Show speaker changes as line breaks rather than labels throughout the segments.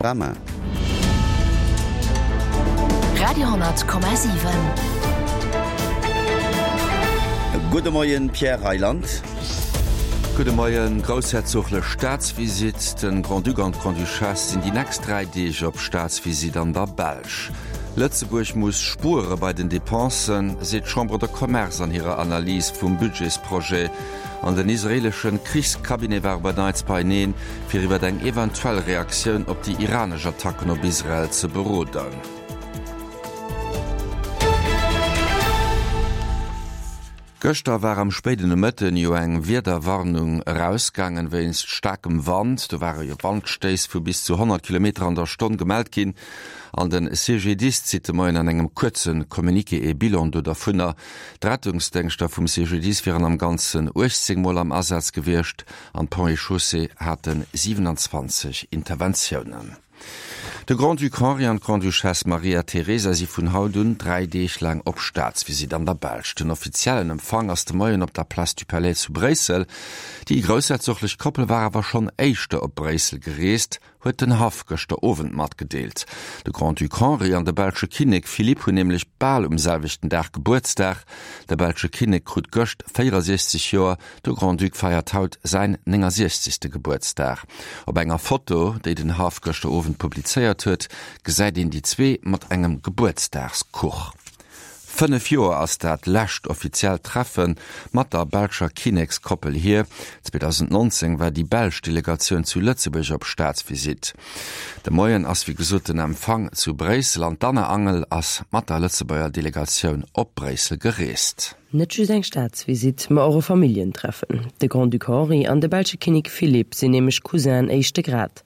Panorama.
Radio,7.
Gudde Moien, Pierre Reyland.
Gudde Moien. Groussherzoglech Staatsvisitt, Den Grand-Duc an d'Grande-Duchesse sinn déi nächst 3 Deeg op Staatsvisitt an der Belsch. Lëtzebuerg muss spuere bei den Depensen, seet d'Chambre de Commerce an hirer Analys vum Budgetsprojet. An den israeeleschen Krichscabinet war op en Neits beieneen, fir iwwer eng eventuell Reaktioun op déi iranesch Attacken op Israel ze beroden. Gëschter war am spéiden Nomëtten jo eng Wiederwarnung erausgaangen wéinst staarkem Wand. Do ware jo Wandstéiss vu bis zu 100 Kilometer an der Stonn gemellt ginn. An de CGDIS zitt de Moien an engem kuerze Communiqué ee Bilan do dervunner. D'Rettungsdéngschter vum CGDIS wieren am Ganzen 18 Mol am Asaz gewiescht an d'Ponts et Chaussées hate 27 Interventiounen. De Grand-Duc Henri an d'Grande-Duchesse Maria Teresa si vun haut un 3 Deeg laang op Staatsvisitt an der Belsch. Den offiziellen Empfang ass de Moien op der Place du Palais zu Bréissel. Déi groussherzoglech Koppel war awer schonn éischter op Bréissel gereest, huet den Haff gëschter Owend matgedeelt. De Grand-Duc Henri an de belsche Kinnek Philippe hunn nämlech bal um selwechten Dag Gebuertsdag. De belsche Kinnek krut gëscht 64 Joer, de Grand-Duc feiert haut säin 69. Gebuertsdag. Op enger Foto, déi den Haff gëschter Owend publizéiert huet, gesäit een déi zwee mat engem Gebuertsdagskuch. 5 Joer ass dat lescht offiziellt Treffe mat der belscher Kinnekskoppel hier. 2019 war déi belsch Delegatioun zu Lëtzebuerg op Staatsvisitt. De Moien ass wéi gesot den Empfang zu Bréissel an d'Anne Angel ass mat der Lëtzebuerger Delegatioun op Bréissel gereest.
Net just eng Staatsvisitt, ma och e Familljentreffen. De Grand-Duc Henri an de belsche Kinnek Philippe sinn nämlech Cousinen éischte Grad.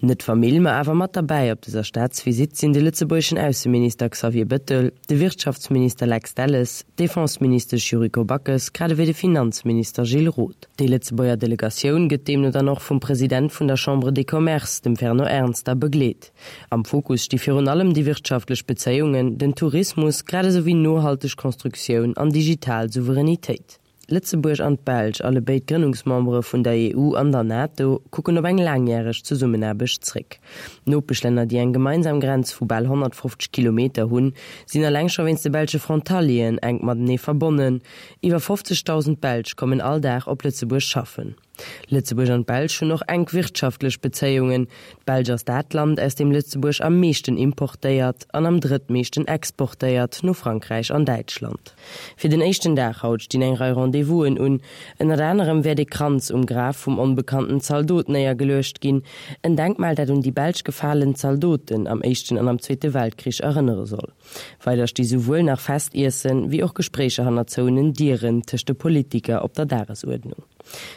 Net d'Famill, ma awer mat derbäi op dëser Staatsvisitt sinn de lëtzebuergeschen Ausseminister Xavier Bëttel, de Wirtschaftsminister Lex Delles, d'Defenseministesch Yuriko Backes grad ewéi de Finanzminister Gilles Roth. Déi Lëtzebuerger Delegatioun gëtt deemno dann och vum President vun der Chambre des Commerces, dem Fernand Ernster, begleet. Am Fokus sti virun allem déi wirtschaftlech Bezéiungen, den Tourismus, grad esou wéi nohalteg Constructioun an digital Souveränitéit. Lëtzebuerg an d'Belsch, allebéid Grënnungsmembere vun der EU an der NATO, kucken op eng laangjäreg Zesummenaarbecht zréck. D'Nopeschlänner, déi eng gemeinsam Grenz vu bal 150 Kilometer hunn, sinn eleng scho wéinst de belsche Frontalieren enk matenee verbonnen. Iwwer 50.000 Belsch kommen all Dag op Lëtzebuerg schaffen. Lëtzebuerg an d'Belsch hunn och enk wirtschaftlech Bezéiungen. D'Belsch ass dat Land, aus deem Lëtzebuerg am meeschten importéiert an am drëttmeeschten exportéiert, no Frankräich an Däitschland. Fir den éischten Dag haut stinn eng Rei Rendez-vousen un. Ënnert anerem wäert ee Kranz um Graf vum onbekannten Zaldot néiergeluecht ginn, en Denkmal, dat un déi belsch gefalen Zaldoten am Éischten an am Zweete Weltkrich erënnere soll. Weider sti souwuel nach Festiessen, wéi och Gespréicher hanner zouenen Dieren tëscht de Politiker op der Dagesuerdnung.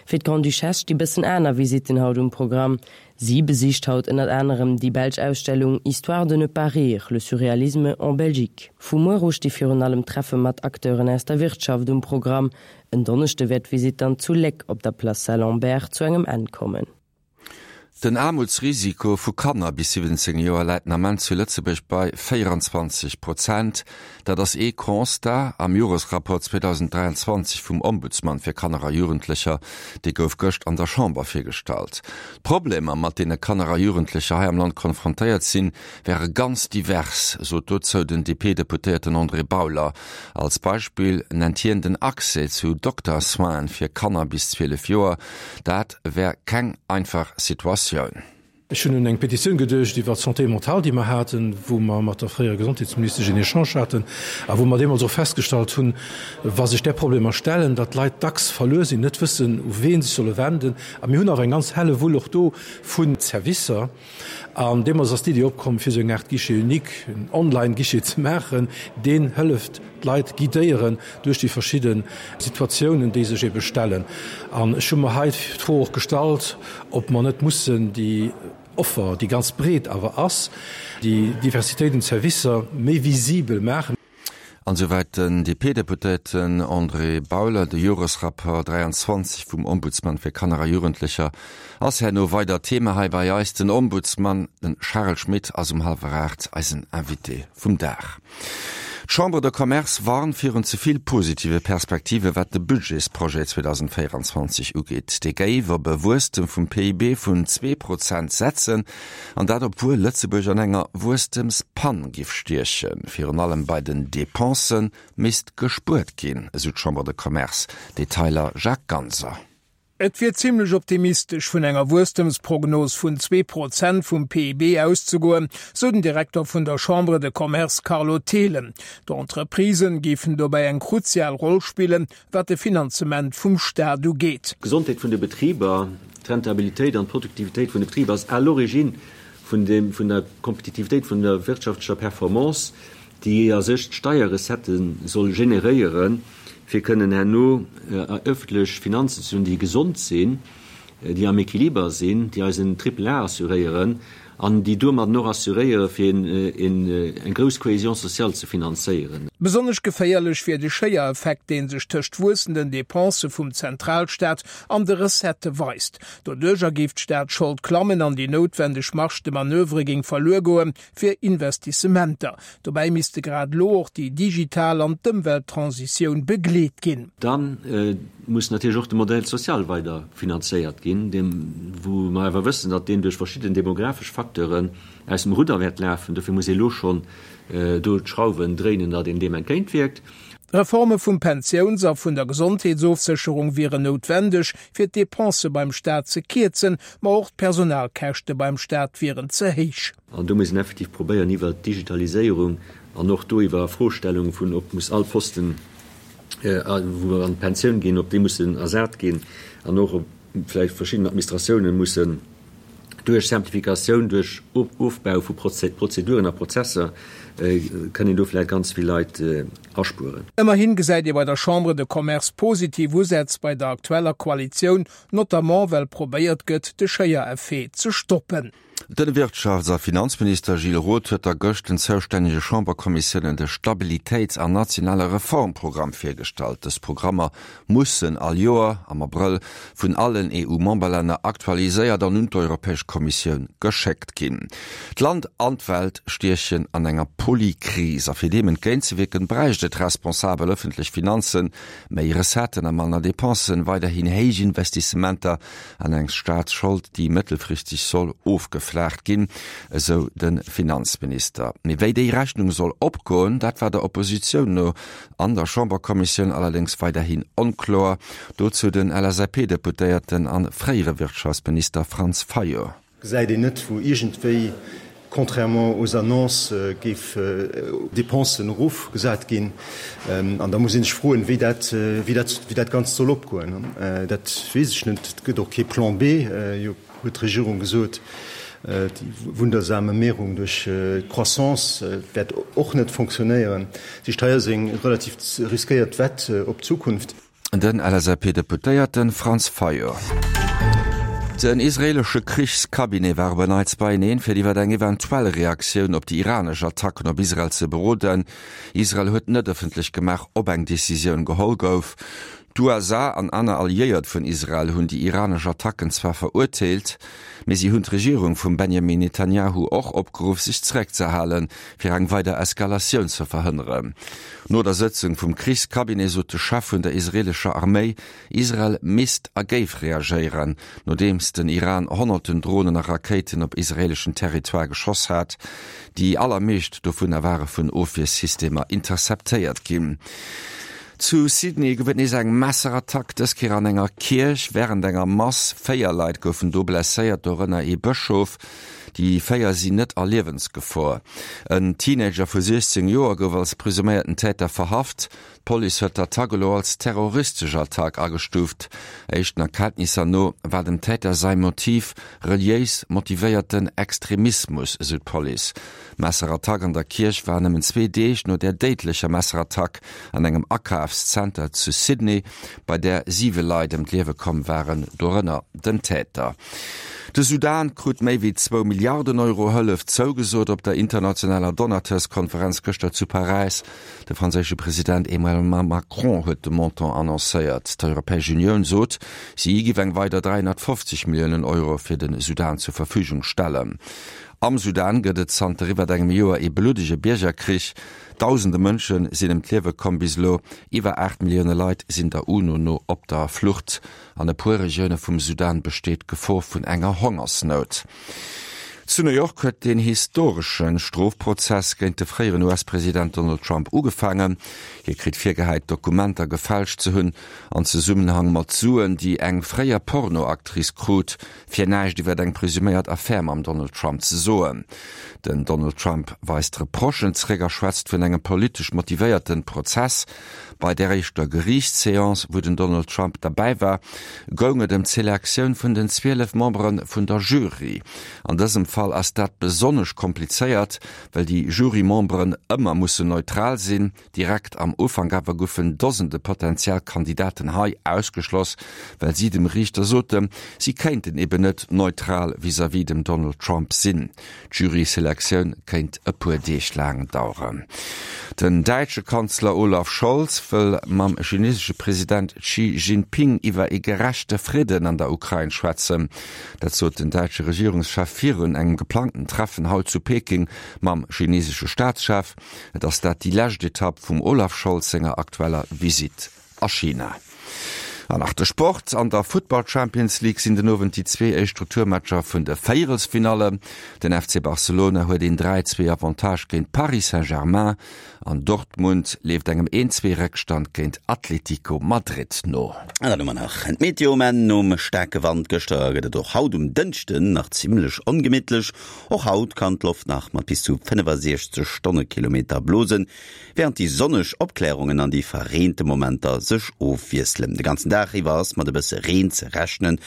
Fir d'Grande-Duchesse sti bëssen aner Visitten haut um Programm. Si besicht haut ënnert anerem déi belsch Ausstellung Histoire de ne pas rire, le surréalisme en Belgique. Vu muer u sti virun allem Treffe mat Acteuren aus der Wirtschaft um Programm. En Donneschde wäert d'Visitt dann zu Léck op der Place Saint-Lambert zu engem Enn kommen.
Den Aarmutsrisiko vu Kanner bis 17 Joer läit den Ament zu Lëtzebuerg bei 24 Prozent. Dat ass ee Constat am Joresrapport 2023 vum Ombudsman fir Kanner a Jugendlecher. Dee gouf gëscht an der Chamber virgestallt. D'Problemer, mat deene Kanner a Jugendlecher hei am Land konfrontéiert sinn, wäre ganz divers, sot dozou den DP-Deputéierten André Bauler. Als Beispill nennt hien den Accès zu Dokter-Soinen fir Kanner bis 12 Joer. Dat wär keng einfach Situatioun.
Ech hunn un eng Petitioun geduecht iwwer d'Santé mentale, déi mer haten, wou mer mat der fréierer Gesondheetsministesch en Echange haten a wou mer deemools och festgestallt hunn, wa sech där Problemer stellen, datt d'Leit dacks verluer sinn, net wëssen, u wee se sech solle wenden. A mir hunn awer eng ganz helle Wull och do vu Servicer. An deemools ass d'Iddi opkomm, fir esou eng Aart Guichet unique, en Online-Guichet ze maachen, deen hëlleft, d'Leit guidéieren duerch déi verschidde Situatiounen, déi sech ebe stellen. An ech hu mer hei d'Fro och gestallt, ob mer net mussen déi Offer, déi ganz breet awer ass, déi Diversitéit un Servicer méi visibel maachen.
An esouwäit den DP-Deputéierten André Bauler. De Joresrapport 23 vum Ombudsman fir Kanner a Jugendlecher ass herno weider Thema hei bei eis. Den Ombudsman, de Charel Schmit, ass um hallwer 8 eisen Invité vum Dag. D'Chambre de Commerce warnt virun ze vill positive Perspektive wat de Budgetsprojet 2024 ugeet. Dee géif op e Wuesstem vum PIB vun 2% setzen, an dat obwuel Lëtzebuerg an enger Wuesstemspann giff stiechen. Virun allem bei den Depensë misst gespuert ginn, esou d'Chambre de Commerce. Detailer Jacques Ganser.
Et wier zimmlech optimistesch vun enger Wuesstemsprognos vun 2% vum PIB auszegoen, sou den Direkter vun der Chambre de Commerce Carlo Thelen. D'Entreprisen géifen dobäi eng kruzial Roll spillen, wat de Finanzement vum Staat ugeet.
D'Gesondheet vun de Betriber, d'Rentabilitéit an d'Produktivitéit vun de Betriber ass à l'origine vun der Kompetitivitéit, vun der wirtschaftlecher Performance, déi a sech d'Steierrecettë soll generéieren. fir kënnen herno ëffentlech Finanzen ze hunn, déi gesond sinn, déi am Equiliber sinn, déi eis en Triple A assuréieren an déi domadden och assuréiere fir eng grouss Cohésion sociale ze finanzéieren.
Besonnesch geféierlech wier de Schéiereffekt, dee sech tëscht wuessenden Depensë vum Zentralstaat an de Recettë weist. Doduercher géif d'Staatsschold klammen an déi noutwendeg Marge de manoeuvre géing verluer goen, fir Investissementer. Dobäi misste grad elo och déi digital an d'Ëmwelttransitioun begleet ginn.
Da muss natierlech och de Modèle social weider finanzéiert ginn, deem wou mer awer wëssen, datt deen duerch verschidden demografesch Facteuren aus dem Rudder wäert lafen. Dofir muss ee elo schonn do d'Schrauwen dréinen, datt een deem entgéintwierkt.
Reforme vum Pensiouns a vun der Gesondheetsofsécherung wieren noutwendeg, fir d'Depensë beim Staat ze kierzen, ma och d'Personalkäschte beim Staat wieren ze héich.
An do muss een effektiv probéieren, iwwert d'Digitaliséierung an och do iwwer Afrostellung vun, ob muss all Posten, wou mer an d'Pensioun ginn, ob déi mussen ersat ginn an och ob vläicht verschidden Administratiounen mussen duerch Simplificatioun, duerch Ofbau vu Prozeduren a Prozesser, kënn een do vläicht ganz vill Leit aspueren.
Ëmmerhin gesäit ee bei der Chambre de Commerce positiv Usätz bei der aktueller Koalitioun, notamment well probéiert gëtt, de Schéiereffet ze stoppen.
De Wirtschafts a Finanzminister Gilles Roth huet da gëscht den zoustännege Chamberkommissiounen de Stabilitéits an nationale Reformprogramm virgestallt. Dës Programmer mussen all Joer am Abrëll vun allen EU-Memberlänner aktualiséiert an un d'Europäesch Kommissioun geschéckt ginn. D'Land an d'Welt stiechen an enger Polykris a fir deem entgéintzewierken, bräicht et responsabel ëffentlech Finanzen, méi Recetten a manner Depensen, weiderhin héich Investissementer an eng Staatsschold, déi mëttelfristeg soll ofgeflaacht ginn, esou de Finanzminister. Mee wéi déi Rechnung soll opgoen, dat war der Oppositioun no an der Chamberkommissioun allerdéngs weiderhin onkloer. Dozou den LSAP-Deputéierten a fréiere Wirtschaftsminister Franz Fayot.
Gesäit een net, wou iergendwéi, contrairement aux annonces, géif Dépensen erofgesat ginn. An da muss ee sech froen, wéi dat, wéi dat, wéi dat Ganzt soll opgoen. Dat weess ech net. Et gëtt och kee Plan B, jo, huet d'Regierung gesot. Déi wundersame Mehrung duerch d'Croissance wäert och net fonctionnéieren. Dat heescht, hei ass eng relativ riskéiert Wett op d'Zukunft.
Den LSAP-Deputéierte Franz Fayot. Den israeelesche Krichscabinet war op en Neits beieneen, fir iwwer eng eventuell Reaktioun op déi iranesch Attacken op Israel ze beroden. Israel huet net ëffentlech gemaach, ob eng Decisioun geholl gouf. D'USA an aner Alliéiert vun Israel hunn déi iranesch Attacken zwar verurteelt, mee si hunn d'Regierung vum Benjamin Netanjahu och opgeruff, sech zeréckzehalen, fir eng weider Eskalatioun ze verhënneren. No der Sëtzung vum Krichscabinet sot de Chef vun der israeelescher Arméi, Israel misst a géif reagéieren, nodeems den Iran honnerten Dronen a Rakéiten op israeeleschen Territoire geschoss hat. Déi allermeescht dovunner ware vun Ofwiersystemer interceptéiert ginn. Zu Sydney gouf et nees eng Messerattack, dës Kéier an enger Kierch wärend enger Mass. 4 Leit goufen do blesséiert, dorënner ee Bëschof. Déi 4 sinn net a Liewensgefor. En Teenager vu 16 Joer gouf als presuméierten Täter verhaft. D'Police huet d'Attack elo als terroristesch Attack agestuuft. Éischten Erkenntnisser no war dem Täter säi Motiv reliéis motivéierten Extremismus, esou d'Police. D'Messerattack an der Kierch war nëmmen zwee Deeg no där déidlecher Messerattack an engem Akafszenter zu Sydney, bei där siwe Leit ëm d'Liewe komm waren, dorënner den Täter. De Sudan krut méi wéi zwou Milliarden Euro Hëllef zougesot op der internationaler Donateurskonferenz gëschter zu Paräis. De franséische President Emmanuel Macron huet de Montant annoncéiert. D'Europäesch Unioun sot, si giff eng weider 350 Milliounen Euro fir de Sudan zur Verfügung stellen. Am Sudan gëtt et zanter iwwert engem Joer ee bluddege Biergerkrich. Dausende Mënsche sinn ëm d'Liewe komm. Bis elo iwwer 8 Millioune Leit sinn der UNO no op der Flucht. An e puer Regioune vum Sudan besteet d'Gefor vun enger Hongersnout. Zu New York huet deen historesche Strofprozess géint de fréieren US-President Donald Trump ugefaangen. Hie kritt virgehäit, Dokumenter gefälscht ze hunn an Zesummenhang mat Suen, déi eng fréier Porno-Actrice krut, fir näischt iwwer eng presuméiert Affär mam Donald Trump ze soen. Den Donald Trump weist d'Reprochen zeréck a schwätzt vun engem politesch motivéierte Prozess. Bei där éischter Geriichtsseance, wou den Donald Trump derbäi war, goung et ëm d'Selektioun vun den 12 Membere vun der Jury. An dësem Fall ass dat besonnesch komplizéiert, well déi Jurymemberen ëmmer mussen neutral sinn. Direkt am Ufank awer goufen Dosende potentiell Kandidaten hei ausgeschloss, well si dem Riichter soten, si kéinten eben net neutral vis-à-vis dem Donald Trump sinn. D'Jury-Selektioun kéint e puer Deeg laang daueren. Den däitsche Kanzler Olaf Scholz wëll mam chinesesche President Xi Jinping iwwer ee gerechte Fridden an der Ukrain schwätzen. Dat sot den däitsche Regierungschef virun engem geplangten Treffen haut zu Peking mam chinesesche Staatschef. Et ass dat déi lescht Etapp vum Olaf Scholz senger aktueller Visitt a China. An nach de Sport, An der Futtball Champions League sinn den Owend déi zwee éischt Retourmatcher vun de Véierelsfinallen. Den FC Barcelona huet een 3, 2 Avantage géint Paris Saint-Germain an Dortmund leeft engem 1, 2 Réckstand géint Atlético Madrid no.
An dann hu mer nach d'Meteo. Mä nom staarke Wand gëschter gëtt et och haut um Dënschden nach zimmlech ongemittlech. Och haut kann d'Loft nach mat bis zu 65 Stonnekilometer blosen. Wärend déi sonneg Opklärungen an déi verreente Momenter sech ofwiesselen. De ganzen Dag iwwer ass mat e bësse Reen ze rechnen.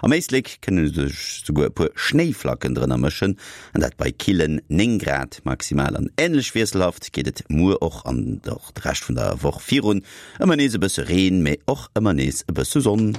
Am Éislek kënne sech souguer e puer Schnéiflacken drënner mëschen, an dat bei killen 9 Grad maximal. An änlech wiesselhaft geet et muer och an och de Rescht vun der Woch virun, ëmmer nees e bësse Reen, mee och ëmmer nees e bësse Sonn.